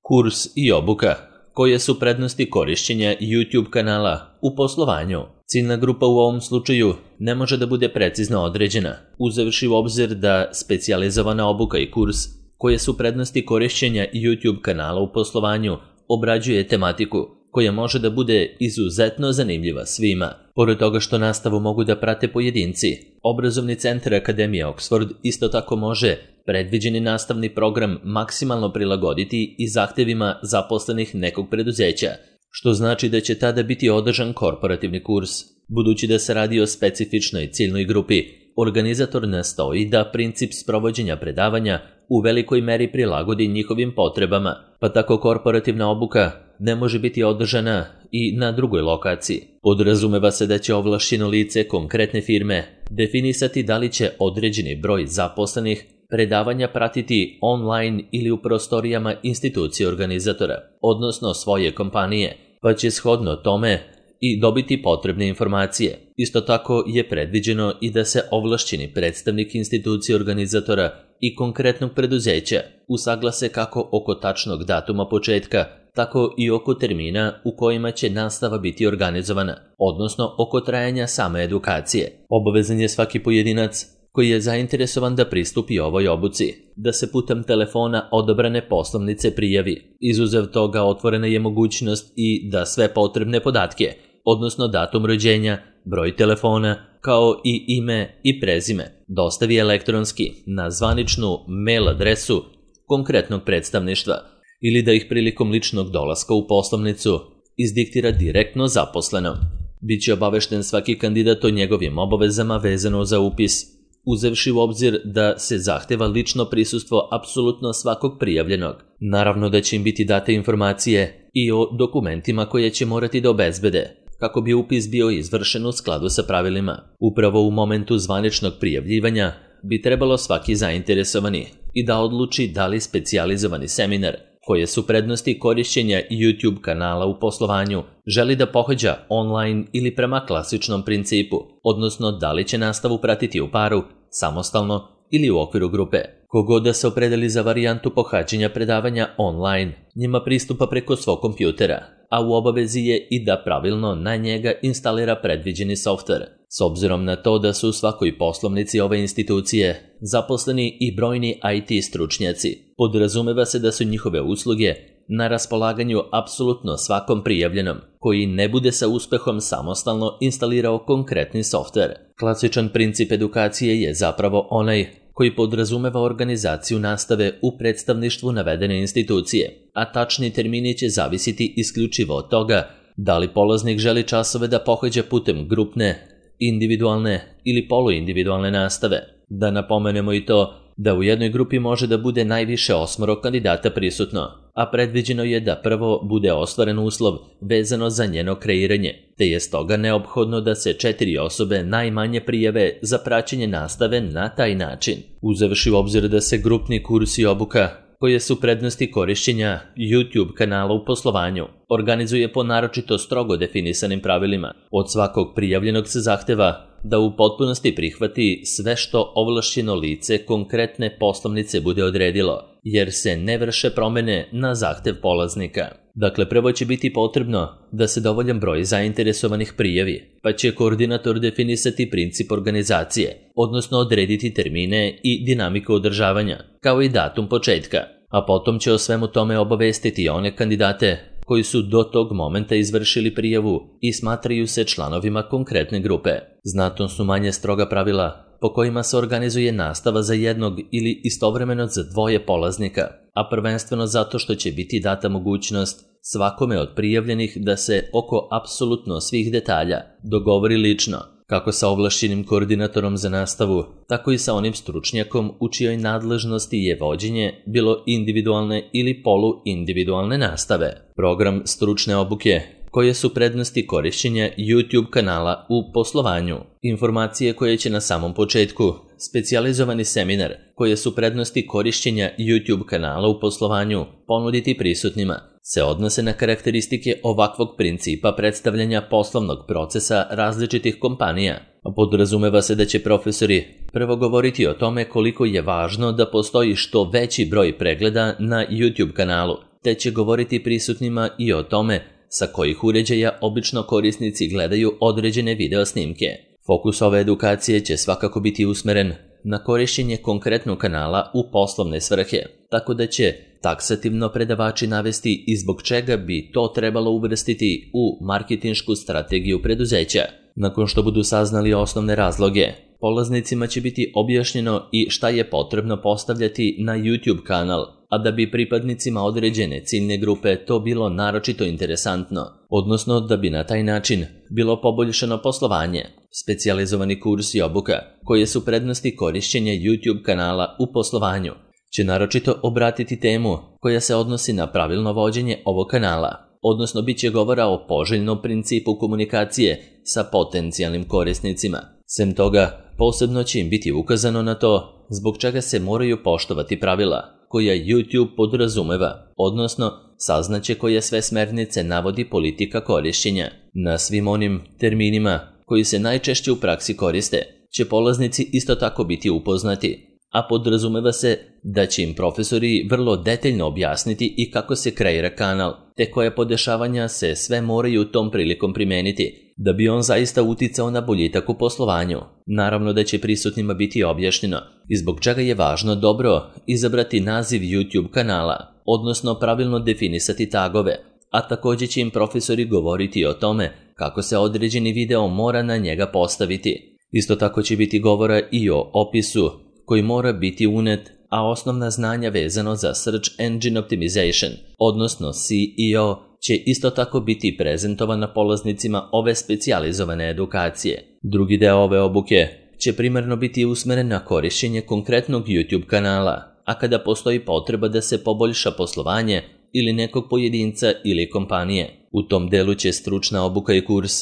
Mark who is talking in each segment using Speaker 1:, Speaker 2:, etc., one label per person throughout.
Speaker 1: Kurs i obuka. Koje su prednosti korišćenja YouTube kanala u poslovanju? Ciljna grupa u ovom slučaju ne može da bude precizno određena, uzevši u obzir da specijalizovana obuka i kurs koje su prednosti korišćenja YouTube kanala u poslovanju obrađuje tematiku koja može da bude izuzetno zanimljiva svima. Pored toga što nastavu mogu da prate pojedinci, Obrazovni centar Akademije Oxford isto tako može predviđeni nastavni program maksimalno prilagoditi i zahtevima zaposlenih nekog preduzeća, što znači da će tada biti održan korporativni kurs. Budući da se radi o specifičnoj ciljnoj grupi, organizator nastoji da princip sprovođenja predavanja u velikoj meri prilagodi njihovim potrebama, pa tako korporativna obuka ne može biti održana i na drugoj lokaciji. Podrazumeva se da će ovlašćeno lice konkretne firme definisati da li će određeni broj zaposlenih predavanja pratiti online ili u prostorijama institucije organizatora, odnosno svoje kompanije, pa će shodno tome i dobiti potrebne informacije. Isto tako je predviđeno i da se ovlašćeni predstavnik institucije organizatora i konkretnog preduzeća usaglase kako oko tačnog datuma početka, tako i oko termina u kojima će nastava biti organizovana, odnosno oko trajanja same edukacije. Obavezan je svaki pojedinac koji je zainteresovan da pristupi ovoj obuci, da se putem telefona odabrane poslovnice prijavi. Izuzev toga otvorena je mogućnost i da sve potrebne podatke, odnosno datum rođenja, broj telefona, kao i ime i prezime, dostavi elektronski na zvaničnu mail adresu konkretnog predstavništva ili da ih prilikom ličnog dolaska u poslovnicu izdiktira direktno zaposlenom. Biće obavešten svaki kandidat o njegovim obavezama vezano za upis, uzevši u obzir da se zahteva lično prisustvo apsolutno svakog prijavljenog. Naravno da će im biti date informacije i o dokumentima koje će morati da obezbede, kako bi upis bio izvršen u skladu sa pravilima. Upravo u momentu zvaničnog prijavljivanja bi trebalo svaki zainteresovani i da odluči da li specijalizovani seminar, koje su prednosti korišćenja YouTube kanala u poslovanju, želi da pohađa online ili prema klasičnom principu, odnosno da li će nastavu pratiti u paru, samostalno ili u okviru grupe. Kogod da se opredeli za varijantu pohađanja predavanja online, njima pristupa preko svog kompjutera, a u obavezi je i da pravilno na njega instalira predviđeni softver. S obzirom na to da su u svakoj poslovnici ove institucije zaposleni i brojni IT stručnjaci, podrazumeva se da su njihove usluge na raspolaganju apsolutno svakom prijavljenom koji ne bude sa uspehom samostalno instalirao konkretni softver. Klasičan princip edukacije je zapravo onaj koji podrazumeva organizaciju nastave u predstavništvu navedene institucije, a tačni termini će zavisiti isključivo od toga da li polaznik želi časove da pohađa putem grupne, individualne ili poluindividualne nastave. Da napomenemo i to da u jednoj grupi može da bude najviše 8 kandidata prisutno, a predviđeno je da prvo bude ostvaren uslov vezano za njeno kreiranje, te je stoga neophodno da se 4 osobe najmanje prijave za praćenje nastave na taj način. Uzevši u obzir da se grupni kurs i obuka, koje su prednosti korišćenja YouTube kanala u poslovanju, organizuje po naročito strogo definisanim pravilima. Od svakog prijavljenog se zahteva da u potpunosti prihvati sve što ovlašćeno lice konkretne poslovnice bude odredilo, jer se ne vrše promene na zahtev polaznika. Dakle, prvo će biti potrebno da se dovoljan broj zainteresovanih prijavi, pa će koordinator definisati princip organizacije, odnosno odrediti termine i dinamiku održavanja, kao i datum početka, a potom će o svemu tome obavestiti one kandidate koji su do tog momenta izvršili prijavu i smatraju se članovima konkretne grupe. Znatno su manje stroga pravila po kojima se organizuje nastava za jednog ili istovremeno za 2 polaznika, a prvenstveno zato što će biti data mogućnost svakome od prijavljenih da se oko apsolutno svih detalja dogovori lično, kako sa ovlašćenim koordinatorom za nastavu, tako i sa onim stručnjakom u čijoj nadležnosti je vođenje bilo individualne ili poluindividualne nastave. Program stručne obuke, koje su prednosti korišćenja YouTube kanala u poslovanju, informacije koje će na samom početku, specijalizovani seminar, koje su prednosti korišćenja YouTube kanala u poslovanju ponuditi prisutnima, se odnose na karakteristike ovakvog principa predstavljanja poslovnog procesa različitih kompanija. Podrazumeva se da će profesori prvo govoriti o tome koliko je važno da postoji što veći broj pregleda na YouTube kanalu, te će govoriti prisutnima i o tome sa kojih uređaja obično korisnici gledaju određene video snimke. Fokus ove edukacije će svakako biti usmeren na korišćenje konkretnog kanala u poslovne svrhe, tako da će taksativno predavači navesti i zbog čega bi to trebalo uvrstiti u marketinšku strategiju preduzeća. Nakon što budu saznali osnovne razloge, polaznicima će biti objašnjeno i šta je potrebno postavljati na YouTube kanal, a da bi pripadnicima određene ciljne grupe to bilo naročito interesantno, odnosno da bi na taj način bilo poboljšano poslovanje. Specijalizovani kurs i obuka, koje su prednosti korišćenja YouTube kanala u poslovanju, će naročito obratiti temu koja se odnosi na pravilno vođenje ovog kanala, odnosno bit će govora o poželjnom principu komunikacije sa potencijalnim korisnicima. Sem toga, posebno će im biti ukazano na to zbog čega se moraju poštovati pravila koja YouTube podrazumeva, odnosno saznaće koje sve smernice navodi politika korišćenja. Na svim onim terminima koji se najčešće u praksi koriste će polaznici isto tako biti upoznati, a podrazumeva se da će im profesori vrlo detaljno objasniti i kako se kreira kanal, te koje podešavanja se sve moraju tom prilikom primeniti, da bi on zaista uticao na boljitak u poslovanju. Naravno da će prisutnima biti objašnjeno i zbog čega je važno dobro izabrati naziv YouTube kanala, odnosno pravilno definisati tagove, a također će im profesori govoriti o tome kako se određeni video mora na njega postaviti. Isto tako će biti govora i o opisu koji mora biti unet, a osnovna znanja vezano za Search Engine Optimization, odnosno SEO, će isto tako biti prezentovana polaznicima ove specijalizovane edukacije. Drugi deo ove obuke će primarno biti usmeren na korišćenje konkretnog YouTube kanala, a kada postoji potreba da se poboljša poslovanje ili nekog pojedinca ili kompanije. U tom delu će stručna obuka i kurs,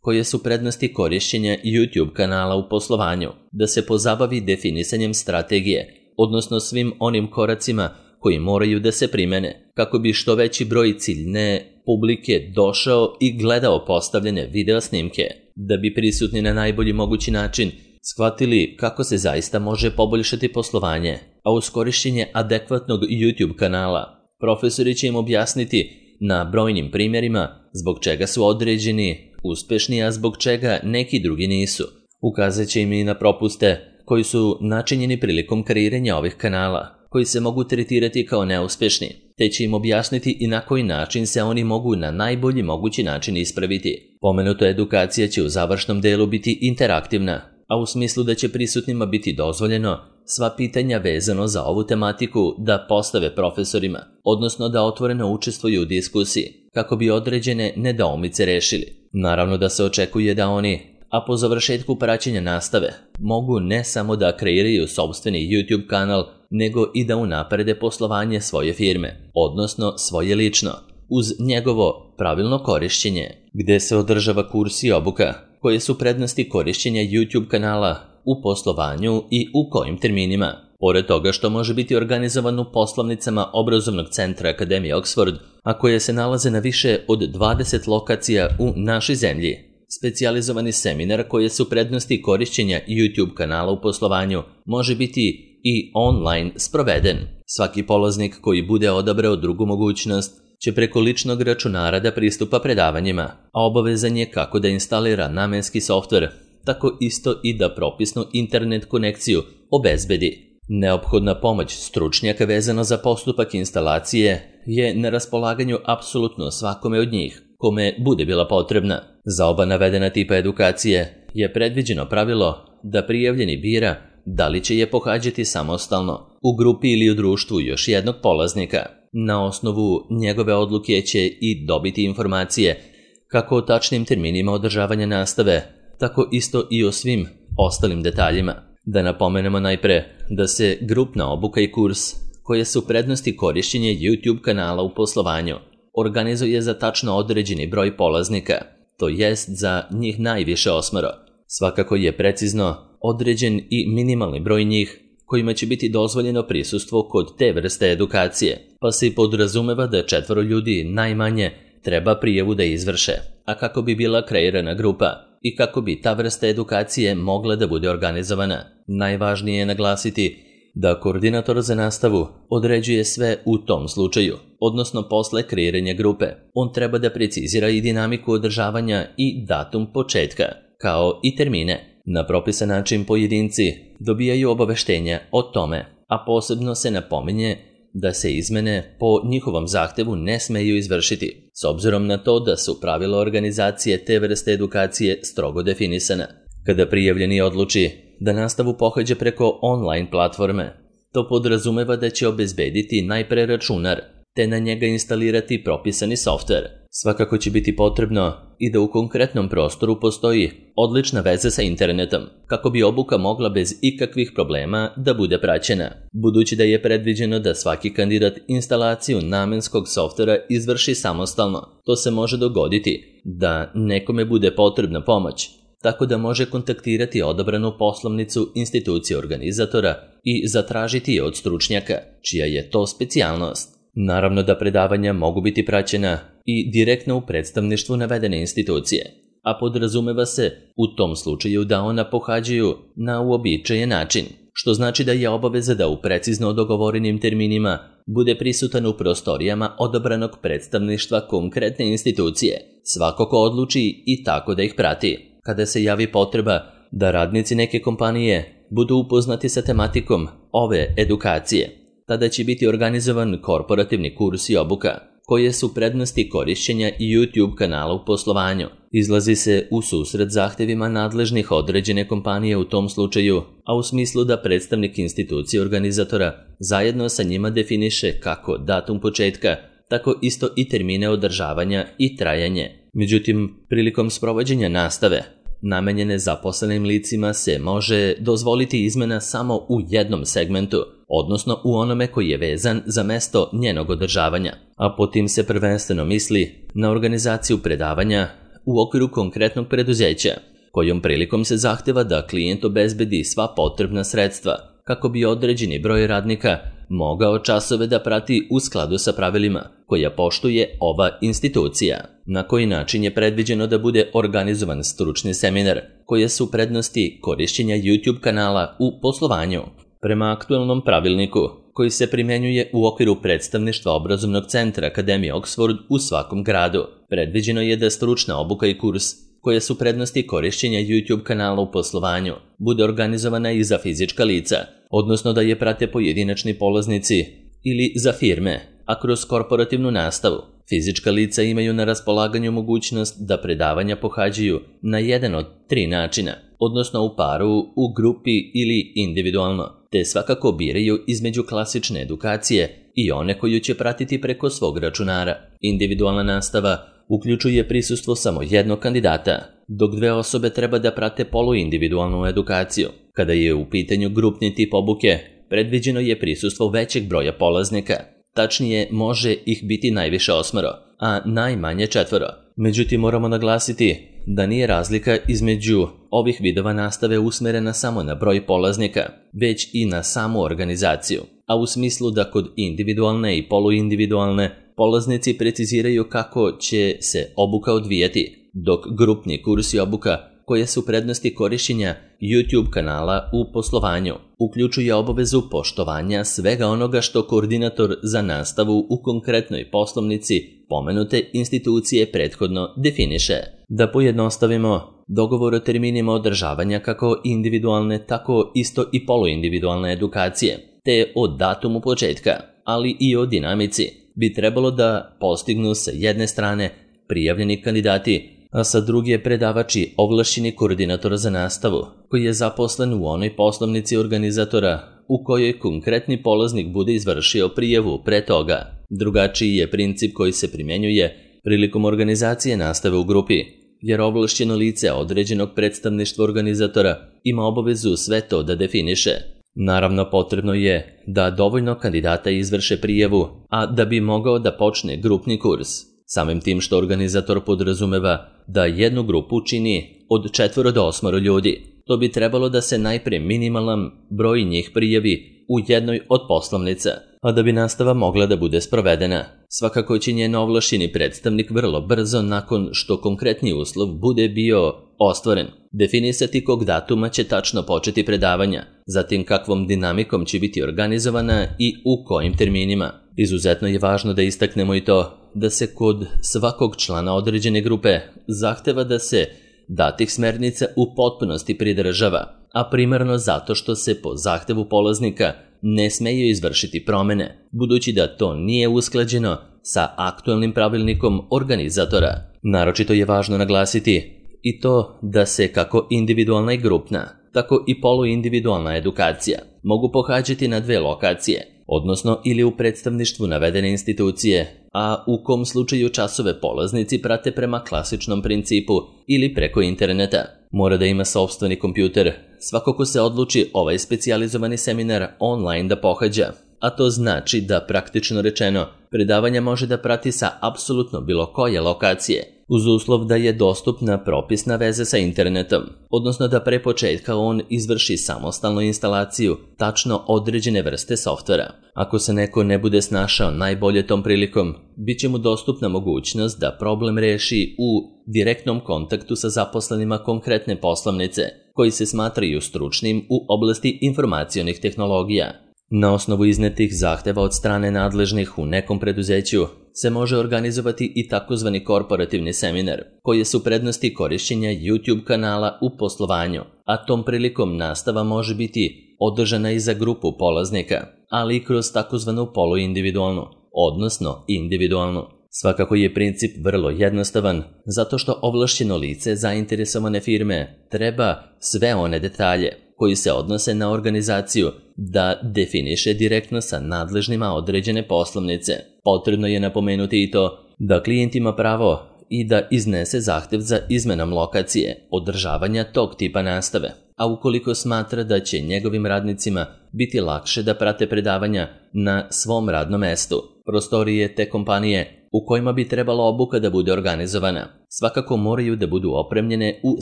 Speaker 1: koje su prednosti korišćenja YouTube kanala u poslovanju, da se pozabavi definisanjem strategije, odnosno svim onim koracima koji moraju da se primene, kako bi što veći broj ciljne publike došao i gledao postavljene video snimke, da bi prisutni na najbolji mogući način shvatili kako se zaista može poboljšati poslovanje, a uz korišćenje adekvatnog YouTube kanala, profesori će im objasniti na brojnim primjerima zbog čega su određeni uspešni, a zbog čega neki drugi nisu. Ukazat će im i na propuste koji su načinjeni prilikom kreiranja ovih kanala, koji se mogu tretirati kao neuspešni, te će im objasniti i na koji način se oni mogu na najbolji mogući način ispraviti. Pomenuta edukacija će u završnom delu biti interaktivna, a u smislu da će prisutnima biti dozvoljeno sva pitanja vezano za ovu tematiku da postave profesorima, odnosno da otvoreno učestvuju u diskusiji, kako bi određene nedoumice rešili. Naravno da se očekuje da oni, a po završetku praćenja nastave, mogu ne samo da kreiraju sopstveni YouTube kanal, nego i da unaprede poslovanje svoje firme, odnosno svoje lično, uz njegovo pravilno korišćenje, gde se održava kurs i obuka, koje su prednosti korišćenja YouTube kanala u poslovanju i u kojim terminima. Pored toga što može biti organizovan u poslovnicama obrazovnog centra Akademije Oxford, a koje se nalaze na više od 20 lokacija u našoj zemlji. Specijalizovani seminar koje su prednosti korišćenja YouTube kanala u poslovanju može biti i online sproveden. Svaki polaznik koji bude odabrao drugu mogućnost će preko ličnog računara da pristupa predavanjima, a obavezan je kako da instalira namenski softver, tako isto i da propisnu internet konekciju obezbedi. Neophodna pomoć stručnjaka vezano za postupak instalacije je na raspolaganju apsolutno svakome od njih, kome bude bila potrebna. Za oba navedena tipa edukacije je predviđeno pravilo da prijavljeni bira da li će je pohađati samostalno, u grupi ili u društvu još jednog polaznika. Na osnovu njegove odluke će i dobiti informacije kako o tačnim terminima održavanja nastave, tako isto i o svim ostalim detaljima. Da napomenemo najpre da se grupna obuka i kurs, koje su prednosti korišćenja YouTube kanala u poslovanju, organizuje za tačno određeni broj polaznika, to jest za njih najviše 8. Svakako je precizno određen i minimalni broj njih kojima će biti dozvoljeno prisustvo kod te vrste edukacije, pa se i podrazumeva da 4 ljudi najmanje treba prijavu da izvrše, a kako bi bila kreirana grupa i kako bi ta vrsta edukacije mogla da bude organizovana, najvažnije je naglasiti da koordinator za nastavu određuje sve u tom slučaju, odnosno posle kreiranja grupe. On treba da precizira i dinamiku održavanja i datum početka, kao i termine. Na propisan način pojedinci dobijaju obaveštenja o tome, a posebno se napominje da se izmene po njihovom zahtevu ne smeju izvršiti, s obzirom na to da su pravila organizacije te vrste edukacije strogo definisana. Kada prijavljeni odluči da nastavu pohađa preko online platforme, to podrazumeva da će obezbediti najpre računar, te na njega instalirati propisani softver. Svakako će biti potrebno i da u konkretnom prostoru postoji odlična veza sa internetom, kako bi obuka mogla bez ikakvih problema da bude praćena. Budući da je predviđeno da svaki kandidat instalaciju namenskog softvera izvrši samostalno, to se može dogoditi da nekome bude potrebna pomoć, tako da može kontaktirati odabranu poslovnicu institucije organizatora i zatražiti je od stručnjaka, čija je to specijalnost. Naravno da predavanja mogu biti praćena i direktno u predstavništvu navedene institucije, a podrazumeva se u tom slučaju da ona pohađaju na uobičajen način, što znači da je obaveza da u precizno dogovorenim terminima bude prisutan u prostorijama odabranog predstavništva konkretne institucije, svako ko odluči i tako da ih prati. Kada se javi potreba da radnici neke kompanije budu upoznati sa tematikom ove edukacije, tada će biti organizovan korporativni kurs i obuka, koje su prednosti korišćenja YouTube kanala u poslovanju. Izlazi se u susret zahtevima nadležnih određene kompanije u tom slučaju, a u smislu da predstavnik institucije organizatora zajedno sa njima definiše kako datum početka, tako isto i termine održavanja i trajanje. Međutim, prilikom sprovođenja nastave namenjene zaposlenim licima se može dozvoliti izmena samo u jednom segmentu, odnosno u onome koji je vezan za mesto njenog održavanja, a po tim se prvenstveno misli na organizaciju predavanja u okviru konkretnog preduzeća, kojom prilikom se zahteva da klijent obezbedi sva potrebna sredstva kako bi određeni broj radnika mogao časove da prati u skladu sa pravilima koja poštuje ova institucija. Na koji način je predviđeno da bude organizovan stručni seminar, koje su prednosti korišćenja YouTube kanala u poslovanju. Prema aktualnom pravilniku, koji se primjenjuje u okviru predstavništva obrazovnog centra Akademije Oxford u svakom gradu, predviđeno je da stručna obuka i kurs, koje su prednosti korišćenja YouTube kanala u poslovanju, bude organizovana i za fizička lica, odnosno da je prate pojedinačni polaznici ili za firme, a kroz korporativnu nastavu. Fizička lica imaju na raspolaganju mogućnost da predavanja pohađaju na jedan od 3 načina, odnosno u paru, u grupi ili individualno, te svakako biraju između klasične edukacije i one koju će pratiti preko svog računara. Individualna nastava uključuje prisustvo samo jednog kandidata, dok 2 osobe treba da prate poluindividualnu edukaciju. Kada je u pitanju grupni tip obuke, predviđeno je prisustvo većeg broja polaznika. Tačnije, može ih biti najviše 8, a najmanje 4. Međutim, moramo naglasiti da nije razlika između ovih vidova nastave usmerena samo na broj polaznika, već i na samu organizaciju, a u smislu da kod individualne i poluindividualne polaznici preciziraju kako će se obuka odvijati, dok grupni kurs i obuka, koje su prednosti korišćenja YouTube kanala u poslovanju, uključuje obavezu poštovanja svega onoga što koordinator za nastavu u konkretnoj poslovnici pomenute institucije prethodno definiše. Da pojednostavimo, dogovor o terminima održavanja kako individualne, tako isto i poluindividualne edukacije, te o datumu početka, ali i o dinamici, bi trebalo da postignu sa jedne strane prijavljeni kandidati, a sa druge predavači ovlašćeni koordinatora za nastavu, koji je zaposlen u onoj poslovnici organizatora u kojoj konkretni polaznik bude izvršio prijavu pre toga. Drugačiji je princip koji se primjenjuje prilikom organizacije nastave u grupi, jer ovlašćeno lice određenog predstavništva organizatora ima obavezu sve to da definiše. Naravno, potrebno je da dovoljno kandidata izvrše prijavu, a da bi mogao da počne grupni kurs. Samim tim što organizator podrazumeva da jednu grupu čini od 4 do 8 ljudi, to bi trebalo da se najpre minimalan broj njih prijavi u jednoj od poslovnica, a da bi nastava mogla da bude sprovedena. Svakako će njen ovlašćeni predstavnik vrlo brzo nakon što konkretni uslov bude bio ostvaren definisati kog datuma će tačno početi predavanja, zatim kakvom dinamikom će biti organizovana i u kojim terminima. Izuzetno je važno da istaknemo i to da se kod svakog člana određene grupe zahteva da se datih smernica u potpunosti pridržava, a primarno zato što se po zahtevu polaznika ne smeju izvršiti promene, budući da to nije usklađeno sa aktualnim pravilnikom organizatora. Naročito je važno naglasiti i to da se kako individualna i grupna, tako i poluindividualna edukacija mogu pohađati na 2 lokacije, odnosno ili u predstavništvu navedene institucije, a u kom slučaju časove polaznici prate prema klasičnom principu ili preko interneta. Mora da ima sopstveni kompjuter, svako ko se odluči ovaj specijalizovani seminar online da pohađa, a to znači da praktično rečeno predavanja može da prati sa apsolutno bilo koje lokacije, uz uslov da je dostupna propisna veza sa internetom, odnosno da pre početka on izvrši samostalnu instalaciju tačno određene vrste softvera. Ako se neko ne bude snašao najbolje tom prilikom, bit će mu dostupna mogućnost da problem reši u direktnom kontaktu sa zaposlenima konkretne poslovnice, koji se smatraju stručnim u oblasti informacionih tehnologija. Na osnovu iznetih zahteva od strane nadležnih u nekom preduzeću se može organizovati i takozvani korporativni seminar, koji su prednosti korišćenja YouTube kanala u poslovanju, a tom prilikom nastava može biti održana i za grupu polaznika, ali i kroz takozvanu poluindividualnu, odnosno individualnu. Svakako je princip vrlo jednostavan, zato što ovlašćeno lice zainteresovane firme treba sve one detalje koji se odnose na organizaciju da definiše direktno sa nadležnima određene poslovnice. Potrebno je napomenuti i to da klijent ima pravo i da iznese zahtev za izmenom lokacije održavanja tog tipa nastave, a ukoliko smatra da će njegovim radnicima biti lakše da prate predavanja na svom radnom mestu, prostorije te kompanije u kojima bi trebala obuka da bude organizovana, svakako moraju da budu opremljene u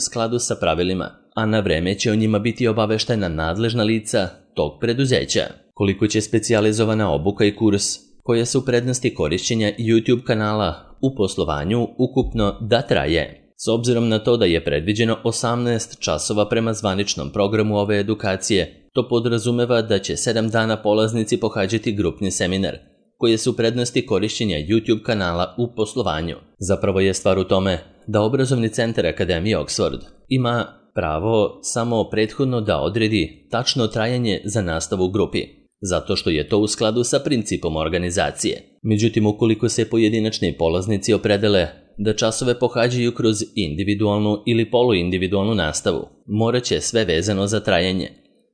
Speaker 1: skladu sa pravilima, a na vreme će o njima biti obaveštena nadležna lica tog preduzeća. Koliko će specijalizovana obuka i kurs, koje su prednosti korišćenja YouTube kanala u poslovanju ukupno da traje? S obzirom na to da je predviđeno 18 časova prema zvaničnom programu ove edukacije, to podrazumeva da će 7 dana polaznici pohađati grupni seminar, koje su prednosti korišćenja YouTube kanala u poslovanju. Zapravo je stvar u tome da obrazovni centar Akademije Oxford ima pravo samo prethodno da odredi tačno trajanje za nastavu u grupi, zato što je to u skladu sa principom organizacije. Međutim, ukoliko se pojedinačni polaznici opredele da časove pohađaju kroz individualnu ili poluindividualnu nastavu, morat će sve vezano za trajanje,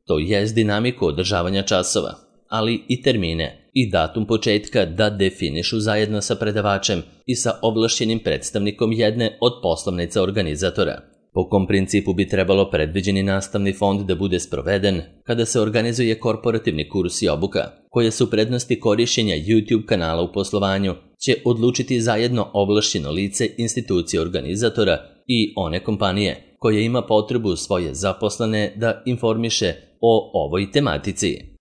Speaker 1: to jest dinamiku održavanja časova, ali i termine i datum početka da definišu zajedno sa predavačem i sa ovlašćenim predstavnikom jedne od poslovnica organizatora. Po kom principu bi trebalo predviđeni nastavni fond da bude sproveden kada se organizuje korporativni kurs i obuka, koje su prednosti korišćenja YouTube kanala u poslovanju, će odlučiti zajedno ovlašćeno lice institucije organizatora i one kompanije koja ima potrebu svoje zaposlene da informiše o ovoj tematici.